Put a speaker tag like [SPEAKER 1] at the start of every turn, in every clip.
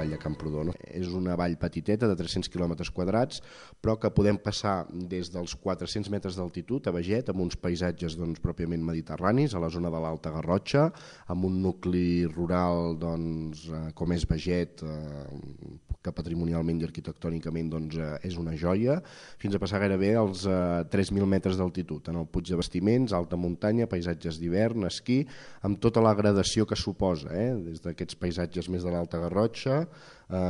[SPEAKER 1] vall de Camprodon. És una vall petiteta de 300 quilòmetres quadrats, però que podem passar des dels 400 metres d'altitud a Beget, amb uns paisatges pròpiament mediterranis, a la zona de l'Alta Garrotxa, amb un nucli rural com és Beget, que patrimonialment i arquitectònicament és una joia, fins a passar gairebé als 3.000 metres d'altitud, en el Puig de Bastiments, alta muntanya, paisatges d'hivern, esquí, amb tota la gradació que suposa, des d'aquests paisatges més de l'Alta Garrotxa,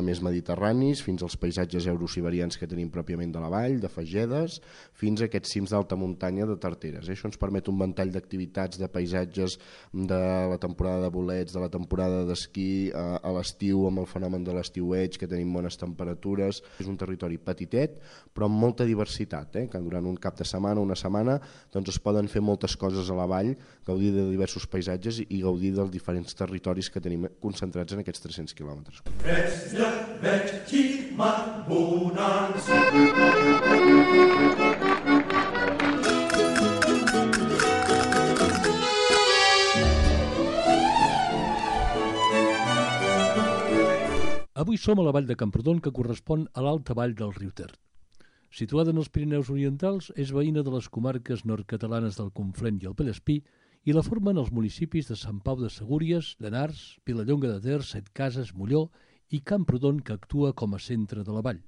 [SPEAKER 1] més mediterranis, fins als paisatges eurosiberians que tenim pròpiament de la vall, de Fagedes, fins a aquests cims d'alta muntanya de Tarteres. Això ens permet un ventall d'activitats, de paisatges de la temporada de bolets, de la temporada d'esquí, a l'estiu amb el fenomen de l'estiueig, que tenim bones temperatures. És un territori petitet, però amb molta diversitat, que durant un cap de setmana, una setmana, es poden fer moltes coses a la vall, gaudir de diversos paisatges i gaudir dels diferents territoris que tenim concentrats en aquests 300 quilòmetres.
[SPEAKER 2] Avui som a la vall de Camprodon, que correspon a l'alta vall del riu Ter. Situada en els Pirineus Orientals, és veïna de les comarques nord-catalanes del Conflent i el Vallespí i la formen els municipis de Sant Pau de Segúries, Llenars, Vilallonga de Ter, Setcases, Molló i Camprodon, que actua com a centre de la vall.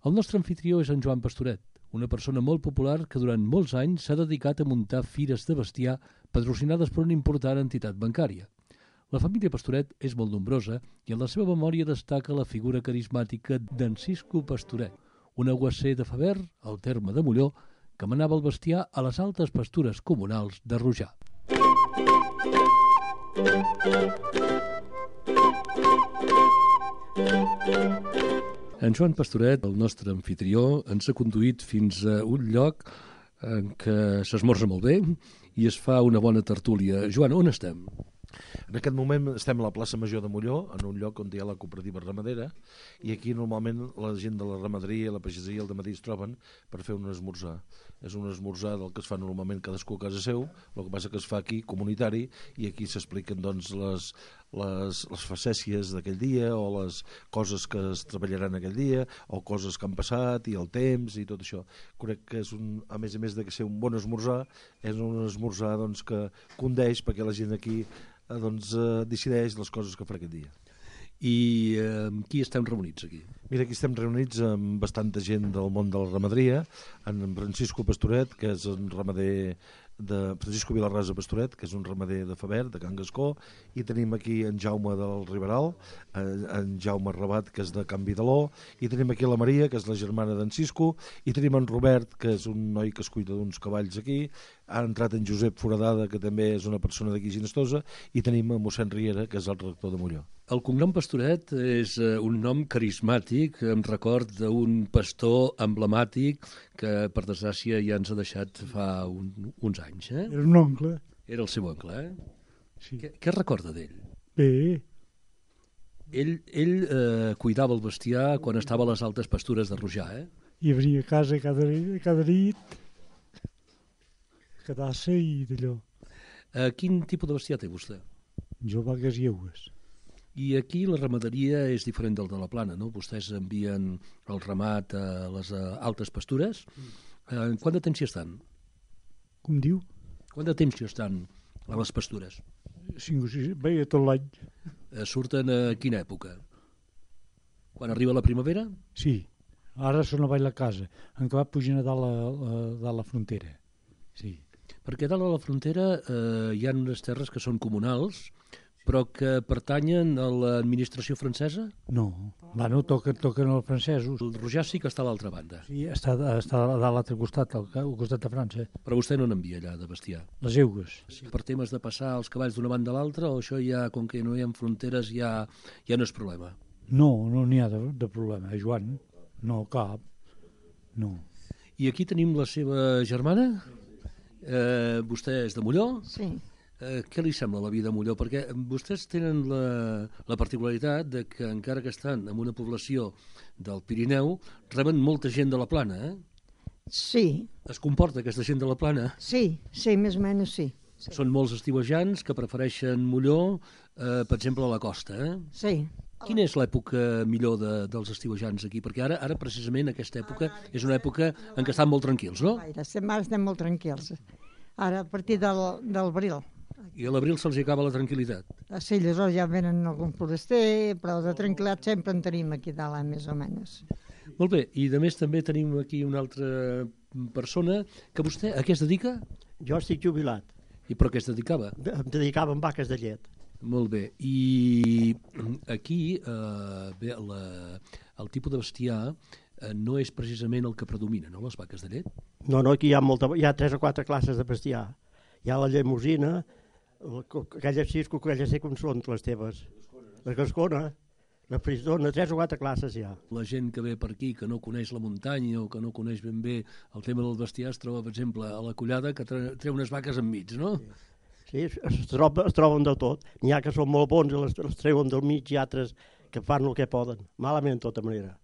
[SPEAKER 2] El nostre anfitrió és en Joan Pastoret, una persona molt popular que durant molts anys s'ha dedicat a muntar fires de bestiar patrocinades per una important entitat bancària. La família Pastoret és molt nombrosa i en la seva memòria destaca la figura carismàtica d'en Cisco Pastoret, un aguacer de Faver, al terme de Molló, que manava el bestiar a les altes pastures comunals de Rojà. En Joan Pastoret, el nostre anfitrió, ens ha conduït fins a un lloc en què s'esmorza molt bé i es fa una bona tertúlia. Joan, on estem?
[SPEAKER 3] En aquest moment estem a la plaça Major de Molló, en un lloc on hi ha la cooperativa ramadera, i aquí normalment la gent de la ramaderia i la pagesia al dematí es troben per fer un esmorzar. És un esmorzar del que es fa normalment cadascú a casa seu, el que passa que es fa aquí comunitari, i aquí s'expliquen les facècies d'aquell dia, o les coses que es treballaran aquell dia, o coses que han passat, i el temps, i tot això. Crec que és a més de ser un bon esmorzar, és un esmorzar que condeix perquè la gent aquí decideix les coses que farà aquest dia.
[SPEAKER 2] I amb qui estem reunits aquí?
[SPEAKER 3] Mira, aquí estem reunits amb bastanta gent del món de la ramaderia, en Francisco Pastoret, que és un ramader de Francisco Vilarrasa Pastoret, que és un ramader de Faver, de Can Gascó, i tenim aquí en Jaume del Riberal, en Jaume Rabat, que és de Can Vidaló, i tenim aquí la Maria, que és la germana d'en Cisco, i tenim en Robert, que és un noi que es cuida d'uns cavalls aquí, ha entrat en Josep Foradada, que també és una persona d'aquí Ginestosa, i tenim en mossèn Riera, que és el rector de Molló.
[SPEAKER 2] El cognom Pastoret és un nom carismàtic, em record d'un pastor emblemàtic que, per desgràcia, ja ens ha deixat fa uns anys.
[SPEAKER 4] Era un oncle.
[SPEAKER 2] Era el seu oncle,
[SPEAKER 4] Sí.
[SPEAKER 2] Què recorda d'ell?
[SPEAKER 4] Bé.
[SPEAKER 2] Ell cuidava el bestiar quan estava a les altes pastures de Rojà,
[SPEAKER 4] I venia a casa cada nit, quedar-se i d'allò.
[SPEAKER 2] Quin tipus de bestiar té vostè?
[SPEAKER 4] Jo vagues i eues.
[SPEAKER 2] I aquí la ramaderia és diferent del de la Plana, no? Vostès envien el ramat a les altes pastures. Quant de temps hi estan?
[SPEAKER 4] Com diu?
[SPEAKER 2] Quant de temps hi estan a les pastures?
[SPEAKER 4] 5 o 6, bé, tot l'any.
[SPEAKER 2] Surten a quina època? Quan arriba la primavera?
[SPEAKER 4] Sí, ara són avall la casa, en què va pujant a dalt la frontera. Sí.
[SPEAKER 2] Perquè dalt a la frontera hi ha unes terres que són comunals, però que pertanyen a l'administració francesa?
[SPEAKER 4] No, bueno, toquen els francesos.
[SPEAKER 2] El Rojà sí que està a l'altra banda.
[SPEAKER 4] Sí, està a l'altre costat, al costat de França.
[SPEAKER 2] Però vostè no n'envia allà de bestiar?
[SPEAKER 4] Les eugues.
[SPEAKER 2] Sí. Per temes de passar els cavalls d'una banda a l'altra, o això ja, com que no hi ha fronteres, ja no és problema?
[SPEAKER 4] No n'hi ha de problema, Joan. No, cap. No.
[SPEAKER 2] I aquí tenim la seva germana? Vostè és de Molló?
[SPEAKER 5] Sí.
[SPEAKER 2] Què li sembla la vida a Molló? Perquè vostès tenen la particularitat de que, encara que estan en una població del Pirineu, reben molta gent de la Plana,
[SPEAKER 5] Sí.
[SPEAKER 2] Es comporta aquesta gent de la Plana?
[SPEAKER 5] Sí, més o menys sí.
[SPEAKER 2] Són molts estiuejants que prefereixen Molló, per exemple, a la costa,
[SPEAKER 5] Sí,
[SPEAKER 2] Quina és l'època millor dels estiuejants aquí? Perquè ara precisament aquesta època és una època en què estan molt tranquils, no?
[SPEAKER 5] Ara estem molt tranquils. Ara, a partir del bril.
[SPEAKER 2] I a l'abril se'ls acaba la tranquil·litat.
[SPEAKER 5] Sí, llavors ja venen algun foraster, però de tranquil·litat sempre en tenim aquí dalt, més o menys.
[SPEAKER 2] Molt bé, i de més també tenim aquí una altra persona que vostè a què es dedica?
[SPEAKER 6] Jo estic jubilat.
[SPEAKER 2] I per què es dedicava?
[SPEAKER 6] Em dedicava a vaques de llet.
[SPEAKER 2] Molt bé, i aquí bé, el tipus de bestiar no és precisament el que predomina, no?, les vaques de llet?
[SPEAKER 6] No, aquí hi ha 3 o 4 classes de bestiar. Hi ha la llemosina, aquelles 6 aquelles sé com són les teves. La gascona, la frisdona, 3 o 4 classes hi ha.
[SPEAKER 2] La gent que ve per aquí, que no coneix la muntanya o que no coneix ben bé el tema del bestiar, es troba, per exemple, a la Collada, que treu unes vaques enmig, no?
[SPEAKER 6] Sí, es troben de tot. N'hi ha que són molt bons i les treuen del mig i altres que fan el que poden. Malament, de tota manera.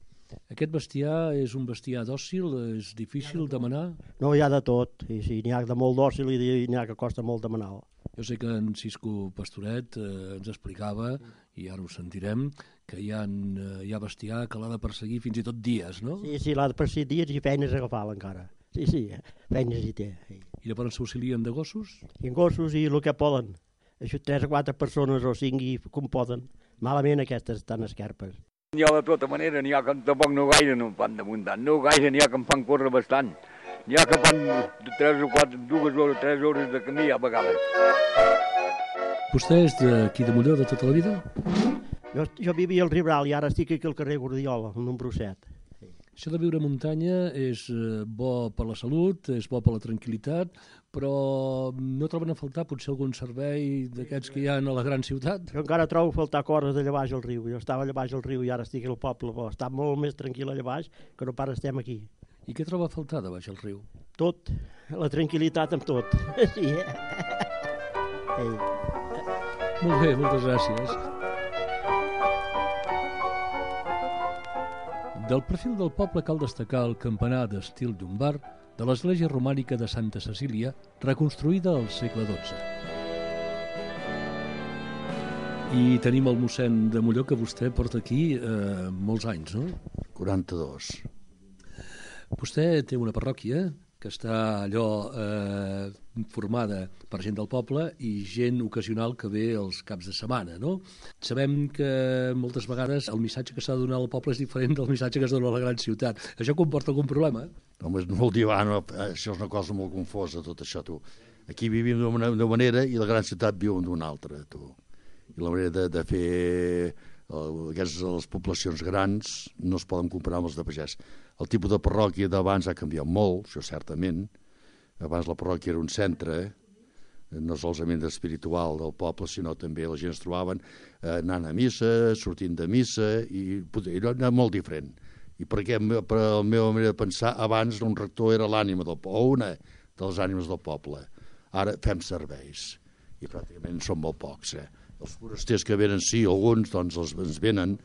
[SPEAKER 2] Aquest bestiar és un bestiar dòcil? És difícil demanar?
[SPEAKER 6] No, hi ha de tot. Sí, n'hi ha de molt dòcil i n'hi ha que costa molt demanar.
[SPEAKER 2] Jo sé que en Cisco Pastoret ens explicava, i ara ho sentirem, que hi ha bestiar que l'ha de perseguir fins i tot dies, no?
[SPEAKER 6] Sí, l'ha de perseguir dies i feines a agafar-la encara. Sí, feines hi té.
[SPEAKER 2] I llavors s'auxilien de gossos?
[SPEAKER 6] I gossos i el que poden. Això 3 o 4 persones o 5 i com poden. Malament aquestes estan esquerpes.
[SPEAKER 7] N'hi ha de tota manera, n'hi ha que tampoc no gaire no fan de muntant, no gaire, n'hi ha que em fan córrer bastant. N'hi ha que fan 3 o 4, 2 hores, 3 hores de camí a vegades.
[SPEAKER 2] Vostè és d'aquí de Molló de tota la vida?
[SPEAKER 6] Jo vivia al Ribral i ara estic aquí al carrer Guardiola, al número 7.
[SPEAKER 2] Això de viure a muntanya és bo per la salut, és bo per la tranquil·litat, però no troben a faltar potser algun servei d'aquests que hi ha a la gran ciutat?
[SPEAKER 6] Jo encara trobo a faltar coses allà baix al riu. Jo estava allà baix al riu i ara estic al poble. Està molt més tranquil allà baix que no pas estem aquí.
[SPEAKER 2] I què troba a faltar de baix al riu?
[SPEAKER 6] Tot. La tranquil·litat amb tot. Sí.
[SPEAKER 2] Molt bé, moltes gràcies. Del perfil del poble cal destacar el campanar d'estil llombard de l'església romànica de Santa Cecília, reconstruïda al segle XII. I tenim el mossèn de Molló, que vostè porta aquí molts anys, no?
[SPEAKER 8] 42.
[SPEAKER 2] Vostè té una parròquia que està allò formada per gent del poble i gent ocasional que ve els caps de setmana, no? Sabem que moltes vegades el missatge que s'ha de donar al poble és diferent del missatge que es dona a la gran ciutat. Això comporta algun problema?
[SPEAKER 8] Home, no vol dir, això és una cosa molt confosa, tot això, tu. Aquí vivim d'una manera i la gran ciutat viu d'una altra, tu. I la manera de fer les poblacions grans no es poden comparar amb els de pagès. El tipus de parròquia d'abans ha canviat molt, això certament. Abans la parròquia era un centre, no solament espiritual del poble, sinó també la gent es trobaven anant a missa, sortint de missa, i era molt diferent. I perquè, per la meva manera de pensar, abans un rector era l'ànima del poble, o una de les ànimes del poble. Ara fem serveis, i pràcticament són molt pocs. Els forasters que venen, sí, alguns, doncs ens venen,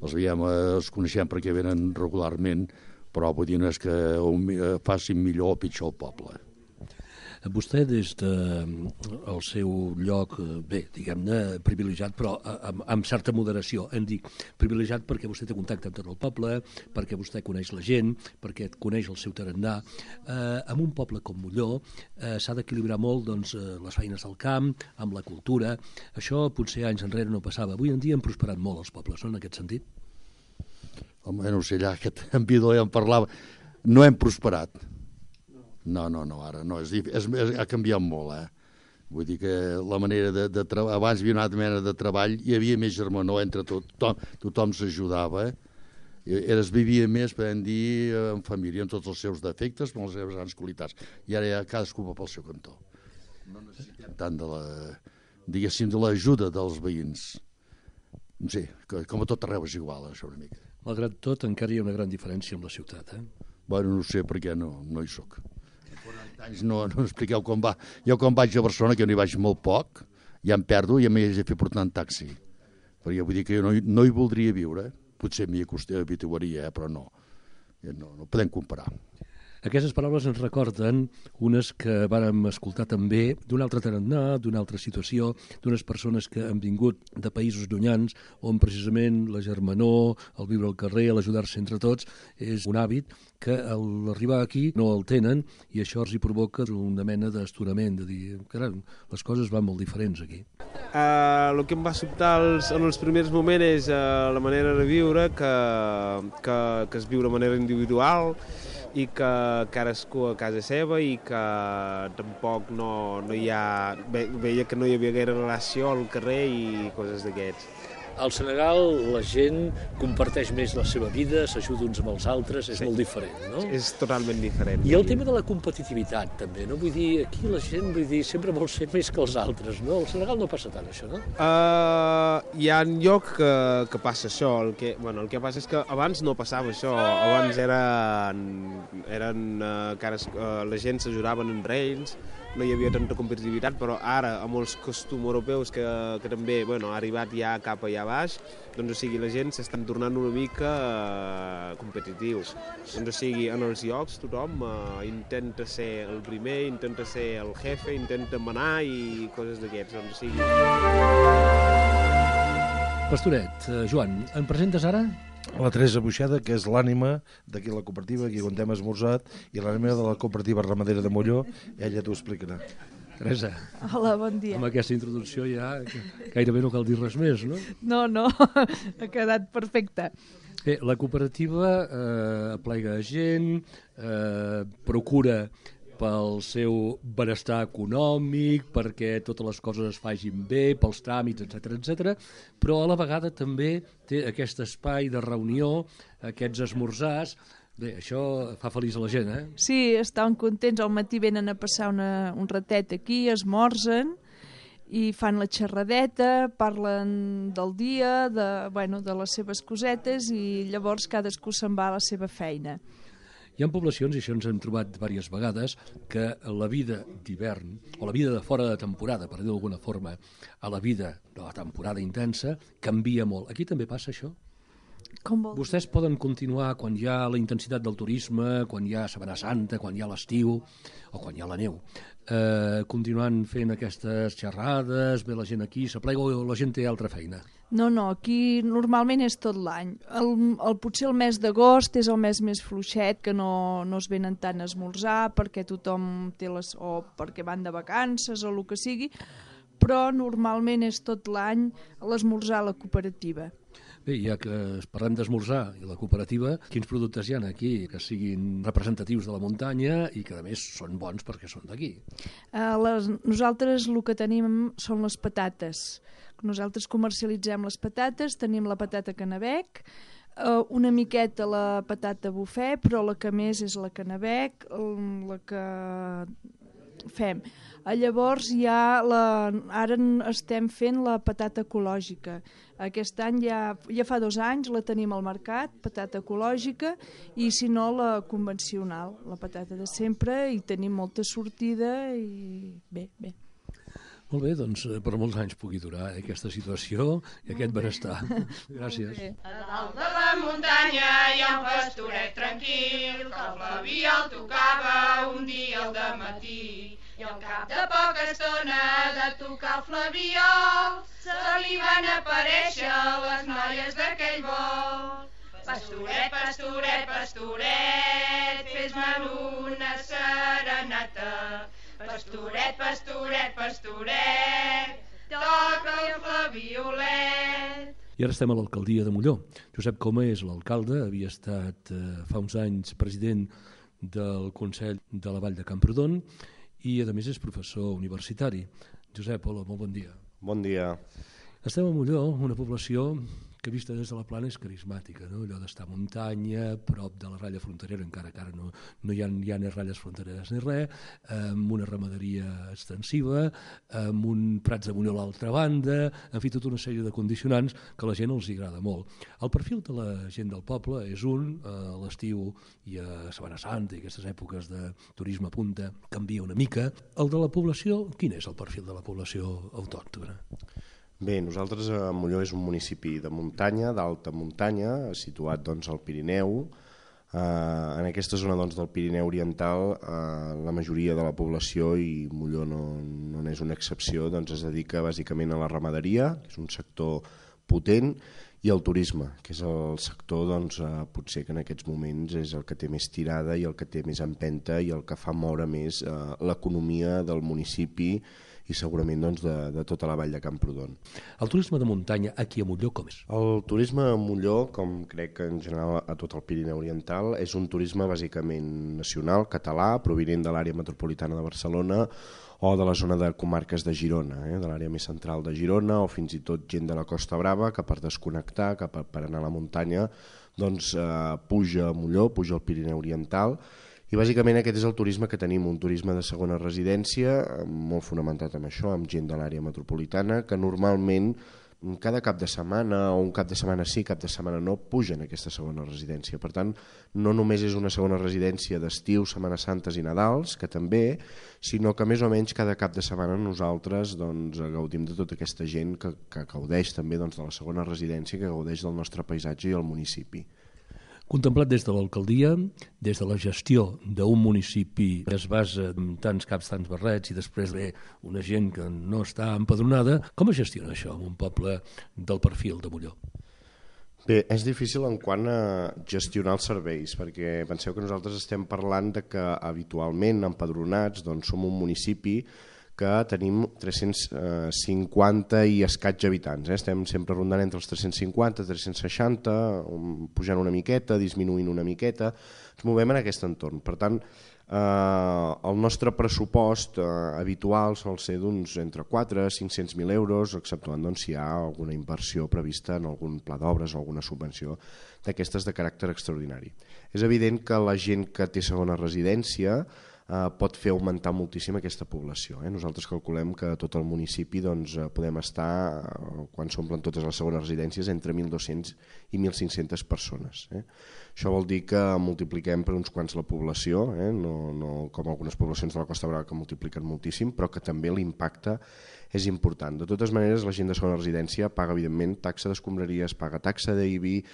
[SPEAKER 8] els coneixem perquè venen regularment, però vull dir, no és que facin millor o pitjor el poble.
[SPEAKER 2] Vostè, des del seu lloc, bé, diguem-ne, privilegiat, però amb certa moderació, hem dit privilegiat perquè vostè té contacte amb tot el poble, perquè vostè coneix la gent, perquè coneix el seu tarannà. En un poble com Molló s'ha d'equilibrar molt doncs, les feines del camp, amb la cultura. Això potser anys enrere no passava. Avui en dia han prosperat molt els pobles, no?, en aquest sentit?
[SPEAKER 8] Home, no sé, allà que en Vidó ja en parlava, no hem prosperat. No, ara no, ha canviat molt, Vull dir que la manera de treballar, abans hi havia una altra manera de treball, hi havia més germanor entre tothom s'ajudava, es vivia més, podem dir, en família, amb tots els seus defectes, amb les seves grans qualitats, i ara ja cadascú va pel seu cantó. No necessitem tant de l'ajuda dels veïns. No sé, com a tot arreu és igual, això una mica.
[SPEAKER 2] Malgrat tot, encara hi ha una gran diferència amb la ciutat,
[SPEAKER 8] Bueno, no sé, perquè no hi soc. Anys no expliqueu com va. Jo quan vaig a Barcelona, que no hi vaig molt poc, ja em perdo i m'he de fer portar en taxi. Perquè vull dir que jo no hi voldria viure. Potser m'hi habituaria, però no. No podem comparar.
[SPEAKER 2] Aquestes paraules ens recorden unes que vàrem escoltar també d'un altre tarannà, d'una altra situació, d'unes persones que han vingut de països llunyans, on precisament la germanor, el viure al carrer, l'ajudar-se entre tots, és un hàbit que a l'arribar aquí no el tenen i això els hi provoca una mena d'esturament, de dir, caram, les coses van molt diferents aquí.
[SPEAKER 9] El que em va sobtar en els primers moments és la manera de viure, que es viu de manera individual, i que cadascú a casa seva i que tampoc no hi ha... Veia que no hi havia gaire relació al carrer i coses d'aquests.
[SPEAKER 2] Al Senegal la gent comparteix més la seva vida, s'ajuda uns amb els altres, és molt diferent, no?
[SPEAKER 9] És totalment diferent.
[SPEAKER 2] I el tema de la competitivitat, també, no? Vull dir, aquí la gent, sempre vol ser més que els altres, no? Al Senegal no passa tant, això, no?
[SPEAKER 9] Hi ha lloc que passa això. El que passa és que abans no passava això. Abans la gent s'ajudaven entre ells, no hi havia tanta competitivitat, però ara, amb els costums europeus que també ha arribat ja cap allà baix, doncs, o sigui, la gent s'estan tornant una mica competitius. Doncs, o sigui, en els llocs tothom intenta ser el primer, intenta ser el jefe, intenta manar i coses d'aquests. Doncs, o sigui...
[SPEAKER 2] Pastoret, Joan, em presentes ara?
[SPEAKER 3] La Teresa Buixeda, que és l'ànima d'aquí la cooperativa, aquí on hem esmorzat, i l'ànima de la cooperativa ramadera de Molló, ella t'ho explicarà.
[SPEAKER 2] Teresa.
[SPEAKER 10] Hola, bon dia.
[SPEAKER 2] Amb aquesta introducció ja gairebé no cal dir res més, no?
[SPEAKER 10] No, ha quedat perfecte.
[SPEAKER 2] Bé, la cooperativa aplega gent, procura pel seu benestar econòmic, perquè totes les coses es facin bé, pels tràmits, etc, però a la vegada també té aquest espai de reunió, aquests esmorzars. Bé, això fa feliç a la gent, eh?
[SPEAKER 10] Sí, estan contents, al matí venen a passar un ratet aquí, esmorzen i fan la xerradeta, parlen del dia, de les seves cosetes i llavors cadascú se'n va a la seva feina.
[SPEAKER 2] Hi ha poblacions, i això ens hem trobat diverses vegades, que la vida d'hivern, o la vida de fora de temporada, per dir d'alguna forma, a la vida de la temporada intensa, canvia molt. Aquí també passa això?
[SPEAKER 10] Com vol?
[SPEAKER 2] Vostès poden continuar quan hi ha la intensitat del turisme, quan hi ha Setmana Santa, quan hi ha l'estiu, o quan hi ha la neu, continuant fent aquestes xerrades, ve la gent aquí, s'aplega o la gent té altra feina?
[SPEAKER 10] No, aquí normalment és tot l'any. Potser el mes d'agost és el mes més fluixet, que no es venen tant a esmorzar perquè tothom té o perquè van de vacances o el que sigui, però normalment és tot l'any l'esmorzar a la cooperativa.
[SPEAKER 2] Bé, ja que parlem d'esmorzar i la cooperativa, quins productes hi ha aquí que siguin representatius de la muntanya i que a més són bons perquè són d'aquí?
[SPEAKER 10] Nosaltres el que tenim són les patates. Nosaltres comercialitzem les patates, tenim la patata canabec, una miqueta la patata bufé, però la que més és la canabec, la que fem. Llavors ara estem fent la patata ecològica. Aquest any ja fa 2 anys la tenim al mercat, patata ecològica, i si no la convencional, la patata de sempre, i tenim molta sortida i bé.
[SPEAKER 2] Molt bé, doncs per molts anys pugui durar aquesta situació i aquest benestar. Gràcies.
[SPEAKER 11] A dalt de la muntanya hi ha un pastoret tranquil, que el Flavià el tocava un dia al dematí. I al cap de poca estona de tocar el Flaviol, se li van aparèixer les noies d'aquell vol. Pastoret, pastoret, pastoret, fes-me'n una serenata. Pastoret, pastoret, pastoret, toca el flaviolet.
[SPEAKER 2] I ara estem a l'alcaldia de Molló. Josep Coma és l'alcalde, havia estat fa uns anys president del Consell de la Vall de Camprodon i a més és professor universitari. Josep, hola, molt bon dia.
[SPEAKER 1] Bon dia.
[SPEAKER 2] Estem a Molló, una població que vista des de la plana és carismàtica, no? Allò d'estar a muntanya, prop de la ratlla fronterera, encara que ara no hi ha ni ratlles frontereres ni res, amb una ramaderia extensiva, amb un prats de Molló a l'altra banda, en fi, tota una sèrie de condicionants que a la gent els agrada molt. El perfil de la gent del poble és a l'estiu i a Setmana Santa i aquestes èpoques de turisme a punta canvia una mica. El de la població, quin és el perfil de la població autòctona?
[SPEAKER 1] Bé, nosaltres Molló és un municipi de muntanya, d'alta muntanya, situat doncs al Pirineu, En aquesta zona del Pirineu Oriental la majoria de la població, i Molló no n'és una excepció, es dedica bàsicament a la ramaderia, que és un sector potent, i el turisme, que és el sector potser que en aquests moments és el que té més tirada i el que té més empenta i el que fa moure més l'economia del municipi i segurament de tota la vall de Camprodon.
[SPEAKER 2] El turisme de muntanya aquí a Molló com és?
[SPEAKER 1] El turisme a Molló, com crec que en general a tot el Pirineu Oriental, és un turisme bàsicament nacional, català, provinent de l'àrea metropolitana de Barcelona o de la zona de comarques de Girona, de l'àrea més central de Girona, o fins i tot gent de la Costa Brava que per desconnectar, que per anar a la muntanya, puja a Molló, puja al Pirineu Oriental. I bàsicament aquest és el turisme que tenim, un turisme de segona residència, molt fonamentat en això, amb gent de l'àrea metropolitana, que normalment cada cap de setmana, o un cap de setmana sí, cap de setmana no, pugen a aquesta segona residència. Per tant, no només és una segona residència d'estiu, Setmanes Santes i Nadals, que també, sinó que més o menys cada cap de setmana nosaltres gaudim de tota aquesta gent que gaudeix també de la segona residència, que gaudeix del nostre paisatge i el municipi.
[SPEAKER 2] Contemplat des de l'alcaldia, des de la gestió d'un municipi que es basa en tants caps, tants barrets, i després ve una gent que no està empadronada, com es gestiona això en un poble del perfil de Molló?
[SPEAKER 1] Bé, és difícil en quant a gestionar els serveis, perquè penseu que nosaltres estem parlant de que habitualment empadronats som un municipi que tenim 350 i escaig habitants. Estem sempre rondant entre els 350 i 360, pujant una miqueta, disminuint una miqueta, ens movem en aquest entorn. Per tant, el nostre pressupost habitual sol ser entre 4 i 500.000 euros, exceptuant si hi ha alguna inversió prevista en algun pla d'obres o alguna subvenció d'aquestes de caràcter extraordinari. És evident que la gent que té segona residència pot fer augmentar moltíssim aquesta població. Nosaltres calculem que a tot el municipi podem estar, quan s'omplen totes les segones residències, entre 1.200 i 1.500 persones. Això vol dir que multipliquem per uns quants la població, no com algunes poblacions de la Costa Brava que multipliquen moltíssim, però que també l'impacte és important. De totes maneres, la gent de segona residència paga, evidentment, taxa d'escombraries, paga taxa d'IBI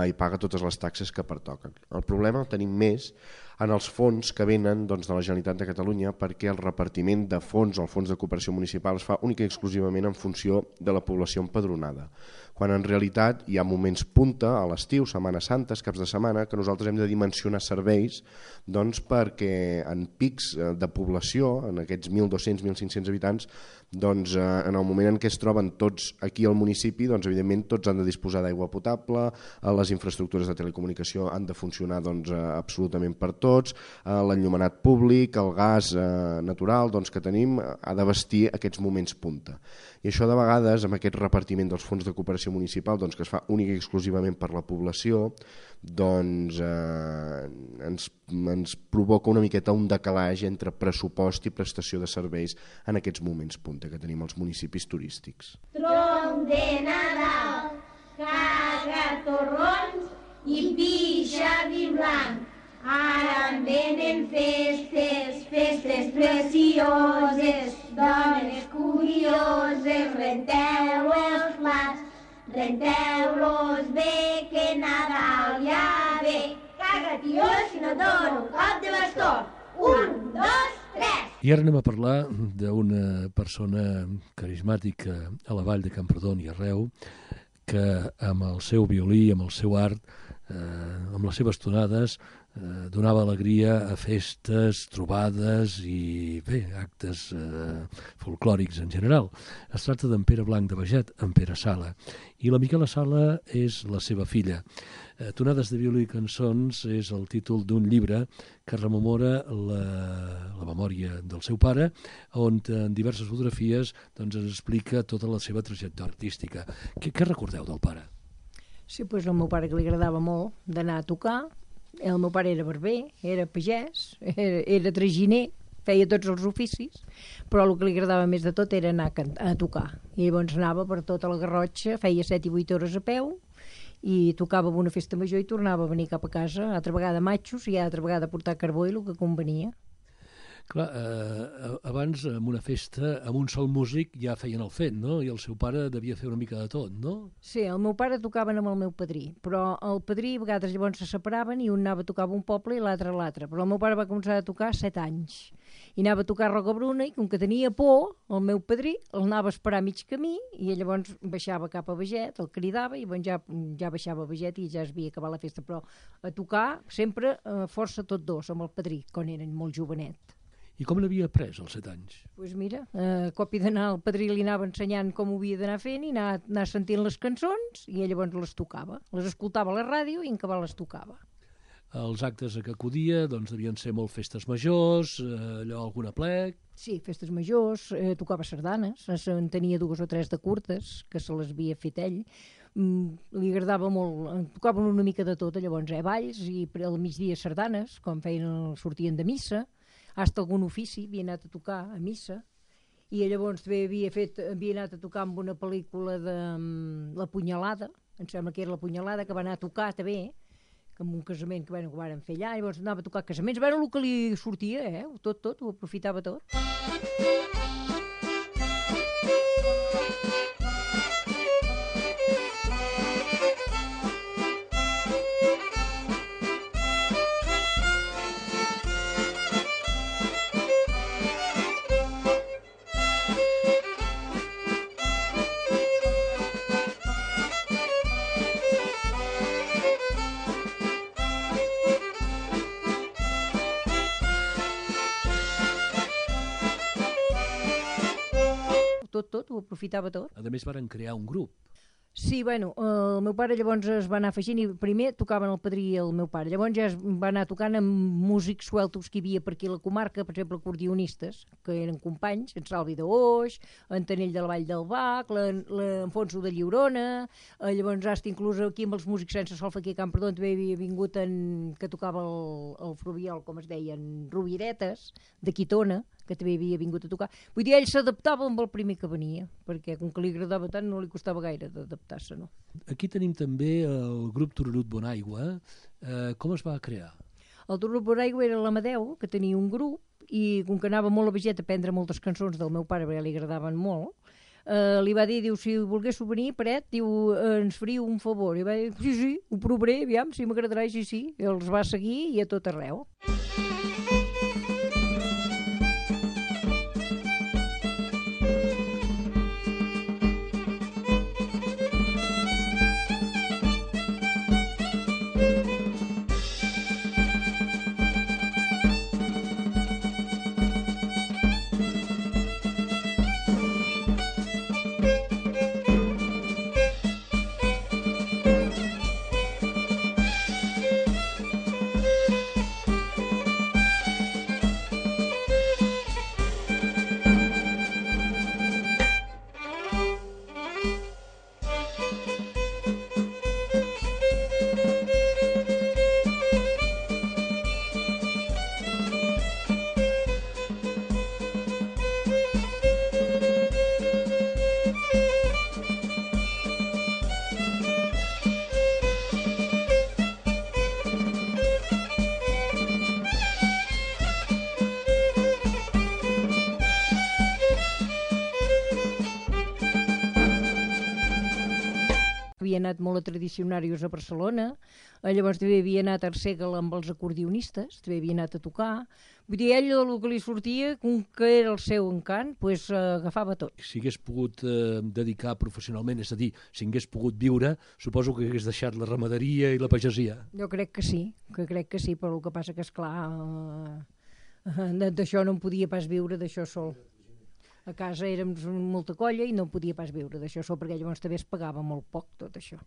[SPEAKER 1] i paga totes les taxes que pertoquen. El problema el tenim més en els fons que venen de la Generalitat de Catalunya, perquè el repartiment de fons, el fons de cooperació municipal, es fa únic i exclusivament en funció de la població empadronada, quan en realitat hi ha moments punta a l'estiu, Setmanes Santes, caps de setmana, que nosaltres hem de dimensionar serveis perquè en pics de població, en aquests 1.200-1.500 habitants, en el moment en què es troben tots aquí al municipi, evidentment tots han de disposar d'aigua potable, les infraestructures de telecomunicació han de funcionar absolutament per tots, l'enllumenat públic, el gas natural que tenim ha de vestir aquests moments punta. I això de vegades, amb aquest repartiment dels fons de cooperació municipal, que es fa únic i exclusivament per la població, ens provoca una miqueta un decalatge entre pressupost i prestació de serveis en aquests moments punta que tenim als municipis turístics.
[SPEAKER 11] Tronc de Nadal, caga torrons i pixa vi blanc. Ara venen festes, festes precioses, dones curioses, renteu els plats, renteu-los bé, que Nadal ja ve. Caga, tio, si no et dono un cop de bastó. 1, 2, 3.
[SPEAKER 2] I ara anem a parlar d'una persona carismàtica a la vall de Camprodon i arreu, que amb el seu violí, amb el seu art, amb les seves tonades, donava alegria a festes, trobades i bé, actes folclòrics en general. Es tracta d'en Pere Blanc de Baget, en Pere Sala, i la Miquela Sala és la seva filla. Tonades de violí i cançons és el títol d'un llibre que rememora la memòria del seu pare, on en diverses fotografies ens explica tota la seva trajectòria artística. Què recordeu del pare?
[SPEAKER 12] Sí, doncs el meu pare, que li agradava molt d'anar a tocar. El meu pare era barber, era pagès, era traginer, feia tots els oficis, però el que li agradava més de tot era anar a tocar. I llavors anava per tota la Garrotxa, feia 7 i 8 hores a peu, i tocava una festa major i tornava a venir cap a casa, altra vegada matxos i altra vegada a portar carbó i el que convenia.
[SPEAKER 2] Clar, abans, en una festa, amb un sol músic ja feien el fet, no? I el seu pare devia fer una mica de tot, no?
[SPEAKER 12] Sí, el meu pare tocaven amb el meu padrí, però el padrí a vegades llavors se separaven i un anava a tocar a un poble i l'altre a l'altre. Però el meu pare va començar a tocar 7 anys. I anava a tocar a Rocabruna i com que tenia por, el meu padrí l'anava a esperar a mig camí i llavors baixava cap a Beget, el cridava i ja baixava a Beget i ja es havia acabat la festa. Però a tocar sempre força tots dos amb el padrí, quan eren molt jovenet.
[SPEAKER 2] I com l'havia après als 7 anys?
[SPEAKER 12] Doncs mira, a copi d'anar, el padrí li anava ensenyant com ho havia d'anar fent i anar sentint les cançons i ell llavors les tocava. Les escoltava a la ràdio i en cabal les tocava.
[SPEAKER 2] Els actes a què acudia doncs, devien ser molt festes majors, allò, algun aplec...
[SPEAKER 12] Sí, festes majors, tocava sardanes, en tenia 2 o 3 de curtes, que se les havia fet ell. Li agradava molt, tocaven una mica de tot, llavors, balls i al migdia sardanes, quan sortien de missa, hasta algun ofici, havia anat a tocar a missa, i llavors també havia anat a tocar amb una pel·lícula de La Punyalada, em sembla que era La Punyalada, que va anar a tocar també, amb un casament que van fer allà, llavors anava a tocar casaments, el que li sortia, tot, ho aprofitava tot. Tot, ho aprofitava tot.
[SPEAKER 2] A més, varen crear un grup.
[SPEAKER 12] Sí, bueno, el meu pare llavors es va anar afegint i primer tocaven el padrí i el meu pare. Llavors ja es va anar tocant amb músics sueltos que hi havia per aquí a la comarca, per exemple, acordionistes, que eren companys, en Salvi d'Oix, en Tanell de la Vall del Bac, l'Enfonso de Lliurona, llavors hasta inclús aquí amb els músics sense solfa aquí a Camprodon també havia vingut que tocava el Frubiol, com es deien, Roviretes, de Quitona, que també havia vingut a tocar. Vull dir, ell s'adaptava amb el primer que venia, perquè com que li agradava tant no li costava gaire d'adaptar-se, no?
[SPEAKER 2] Aquí tenim també el grup Tururut Bonaigua. Com es va crear?
[SPEAKER 12] El Tururut Bonaigua era l'Amadeu, que tenia un grup, i com que anava molt a Beget a aprendre moltes cançons del meu pare, perquè li agradaven molt, li va dir, diu, si volguéssiu venir, Peret, diu, ens faríeu un favor. I va dir, sí, ho provaré, aviam, si m'agradarà, sí. I els va seguir i a tot arreu. Havia anat molt a tradicionarios a Barcelona, llavors també havia anat a Arsèguel amb els acordionistes, també havia anat a tocar. Vull dir, ell el que li sortia, com que era el seu encant, doncs agafava tot.
[SPEAKER 2] Si hagués pogut dedicar professionalment, és a dir, si hagués pogut viure, suposo que hagués deixat la ramaderia i la pagesia.
[SPEAKER 12] Jo crec que sí, però el que passa que, esclar, d'això no en podia pas viure, d'això sol. A casa érem molta colla i no podia pas viure d'això sol, perquè llavors també es pagava molt poc tot això.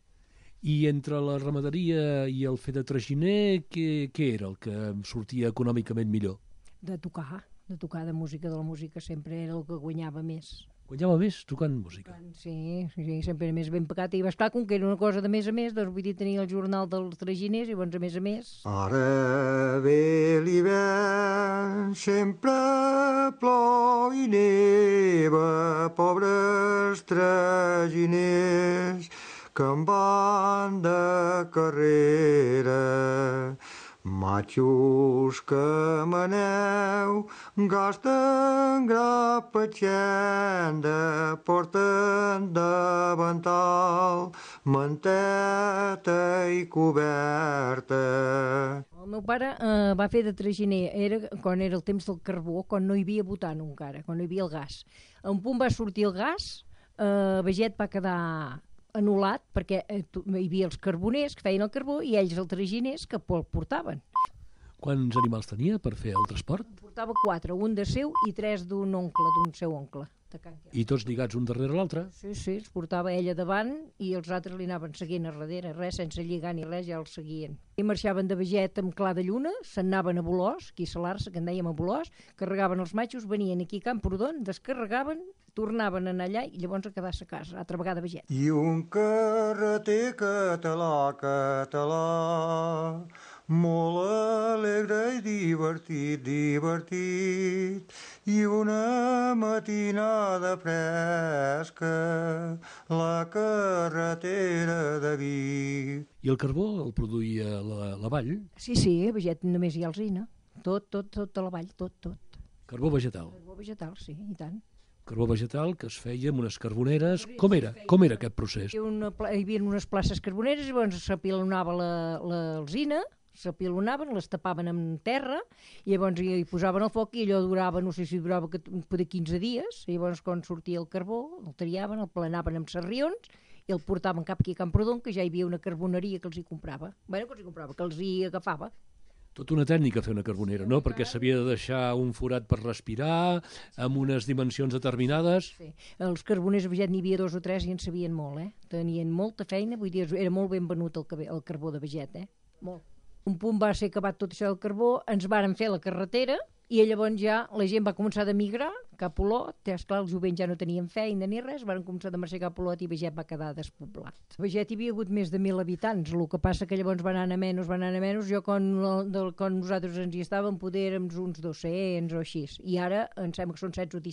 [SPEAKER 2] I entre la ramaderia i el fer de traginer, què era el que sortia econòmicament millor?
[SPEAKER 12] De tocar de música, de la música sempre era el que guanyava més.
[SPEAKER 2] Guanyava més tocant música?
[SPEAKER 12] Sí, sempre era més ben pagat. I va esclar, com que era una cosa de més a més, doncs vull dir, tenia el jornal dels traginers i doncs a més.
[SPEAKER 13] Ara ve l'hivern, sempre plou i neva, pobres traginers que en van de carrera. Matxos que maneu, gasten grapa xenda, porten davantal, manteta i coberta.
[SPEAKER 12] El meu pare va fer de traginer, quan era el temps del carbó, quan no hi havia butano encara, quan no hi havia el gas. A un punt va sortir el gas, Beget va quedar anul·lat perquè hi havia els carboners que feien el carbó i ells els traginers que el portaven.
[SPEAKER 2] Quants animals tenia per fer el transport?
[SPEAKER 12] Portava 4, un de seu i 3 d'un seu oncle.
[SPEAKER 2] I tots lligats un darrere l'altre?
[SPEAKER 12] Sí, els portava ella davant i els altres li anaven seguint a darrere, res, sense lligar ni res, ja els seguien. I marxaven de Beget amb clar de lluna, s'anaven a Bolòs, aquí a Salarsa, que en dèiem a Bolòs, carregaven els matxos, venien aquí a Camprodon, descarregaven, tornaven a anar allà i llavors a quedar-se a casa, altra vegada a Beget.
[SPEAKER 13] I un carreter català, molt alegre i divertit, i una matinada fresca, la carretera de Vic.
[SPEAKER 2] I el carbó el produïa la vall?
[SPEAKER 12] Sí, a Beget només hi ha alzina, tot a la vall, tot.
[SPEAKER 2] Carbó vegetal?
[SPEAKER 12] Carbó vegetal, sí, i tant.
[SPEAKER 2] Carbó vegetal que es feia amb unes carboneres. Com era aquest procés?
[SPEAKER 12] Hi havia unes places carboneres, llavors s'apilonava l'alzina, s'apilonaven, les tapaven amb terra, i llavors hi posaven el foc i allò durava, no sé si durava de 15 dies, i llavors quan sortia el carbó, el triaven, el planaven amb sarrions i el portaven cap aquí a Camprodon, que ja hi havia una carboneria que els hi comprava. Que els hi agafava.
[SPEAKER 2] Tota una tècnica fer una carbonera, no? Perquè s'havia de deixar un forat per respirar, amb unes dimensions determinades.
[SPEAKER 12] Sí. Els carboners a Beget n'hi havia 2 o 3 i en sabien molt, Tenien molta feina, vull dir, era molt ben venut el carbó de Beget, Molt. Un punt va ser acabat tot això del carbó, ens varen fer la carretera i llavors ja la gent va començar a migrar cap a Olot, esclar, els jovents ja no tenien feina ni res, van començar a marxar cap a Olot i Beget va quedar despoblat. A Beget hi havia hagut més de 1.000 habitants, el que passa que llavors van anar a menys, jo quan nosaltres ens hi estàvem poder érem uns 200 o així, i ara em sembla que són 16 o 17.